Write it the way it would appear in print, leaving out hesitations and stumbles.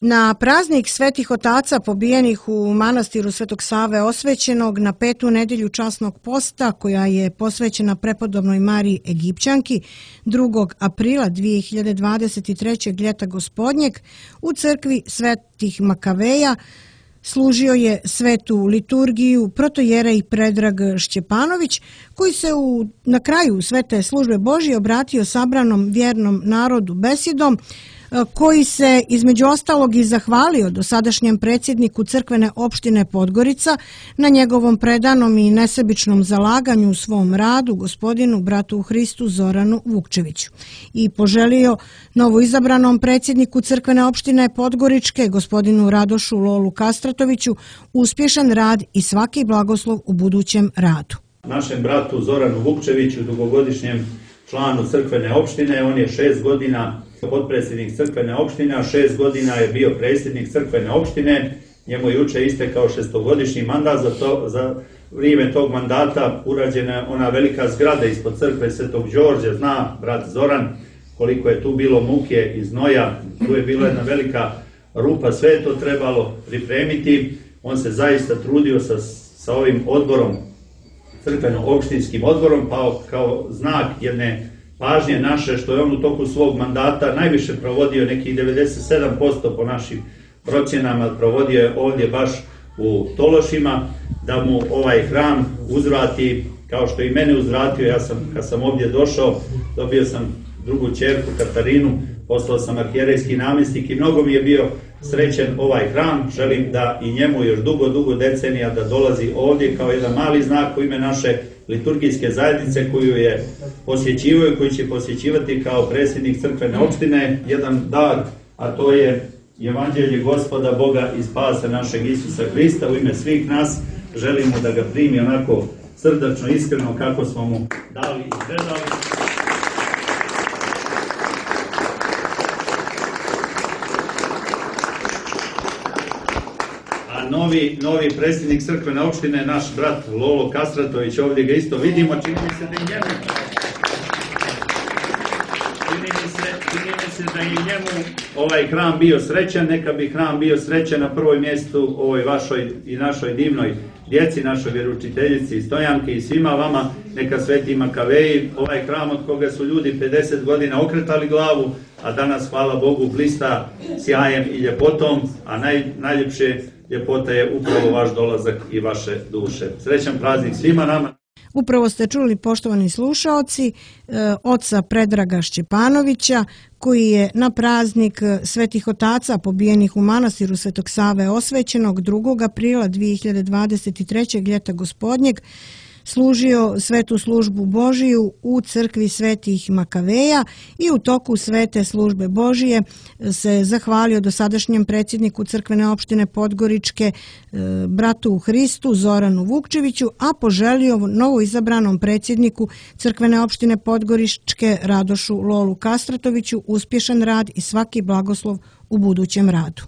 Na praznik Svetih otaca pobijenih u manastiru Svetog Save Osvećenog na 5. nedelju časnog posta, koja je posvećena prepodobnoj Mariji Egipćanki, 2. aprila 2023. ljeta gospodnjeg, u crkvi Svetih Makaveja služio je svetu liturgiju protojerej Predrag Šćepanović, koji se na kraju svete službe Božje obratio sabranom vjernom narodu besedom, koji se između ostalog i zahvalio dosadašnjem predsjedniku crkvene opštine Podgorica na njegovom predanom i nesebičnom zalaganju u svom radu, gospodinu bratu u Hristu Zoranu Vukčeviću, i poželio novoizabranom predsjedniku crkvene opštine Podgoričke, gospodinu Radošu Lolu Kastratoviću, uspješan rad i svaki blagoslov u budućem radu. Našem bratu Zoranu Vukčeviću, dugogodišnjem članu crkvene opštine, on je 6 godina potpredsjednik crkvene opštine, a 6 godina je bio predsjednik crkvene opštine. Njemu je juče istekao 6-godišnji mandat. Za vrijeme tog mandata urađena je ona velika zgrada ispod crkve Svetog Đorđa. Zna brat Zoran koliko je tu bilo muke i znoja, tu je bila jedna velika rupa, sve je to trebalo pripremiti. On se zaista trudio sa ovim odborom, crkveno-opštinskim odborom, pa kao znak jedne pažnje naše, što je on u toku svog mandata najviše provodio, nekih 97% po našim procjenama, provodio je ovdje baš u Tološima, da mu ovaj hram uzvrati kao što i mene uzvratio. Kad sam ovdje došao, dobio sam drugu ćerku Katarinu, poslao sam arhijerejski namjesnik i mnogo mi je bio srećen ovaj hram. Želim da i njemu još dugo decenija da dolazi ovdje kao jedan mali znak u ime naše liturgijske zajednice koju je posjećivao i koju će posjećivati kao predsjednik crkvene opštine, jedan dar, a to je Evanđelje Gospoda Boga i spasa našeg Isusa Hrista. U ime svih nas želimo da ga primi onako srdačno, iskreno kako smo mu dali i predali. Novi predsjednik crkvene opštine, naš brat Lolo Kastratović, ovdje ga isto vidimo, čini mi se da je njemu ovaj hram bio srećan. Neka bi hram bio srećan na prvoj mjestu ovoj vašoj i našoj divnoj djeci, našoj vjeroučiteljici Stojanki i svima vama. Neka Sveti Makaveji, ovaj hram od koga su ljudi 50 godina okretali glavu, a danas, hvala Bogu, blista sjajem i ljepotom, a najljepše ljepota je upravo vaš dolazak i vaše duše. Srećan praznik svima nama. Upravo ste čuli, poštovani slušaoci, oca Predraga Šćepanovića, koji je na praznik Svetih otaca pobijenih u manastiru Svetog Save Osvećenog 2. aprila 2023. ljeta gospodnjeg služio svetu službu Božiju u crkvi Svetih Makaveja i u toku svete službe Božije se zahvalio dosadašnjem predsjedniku crkvene opštine Podgoričke, bratu u Hristu Zoranu Vukčeviću, a poželio novoizabranom predsjedniku crkvene opštine Podgoričke Radošu Lolu Kastratoviću uspješan rad i svaki blagoslov u budućem radu.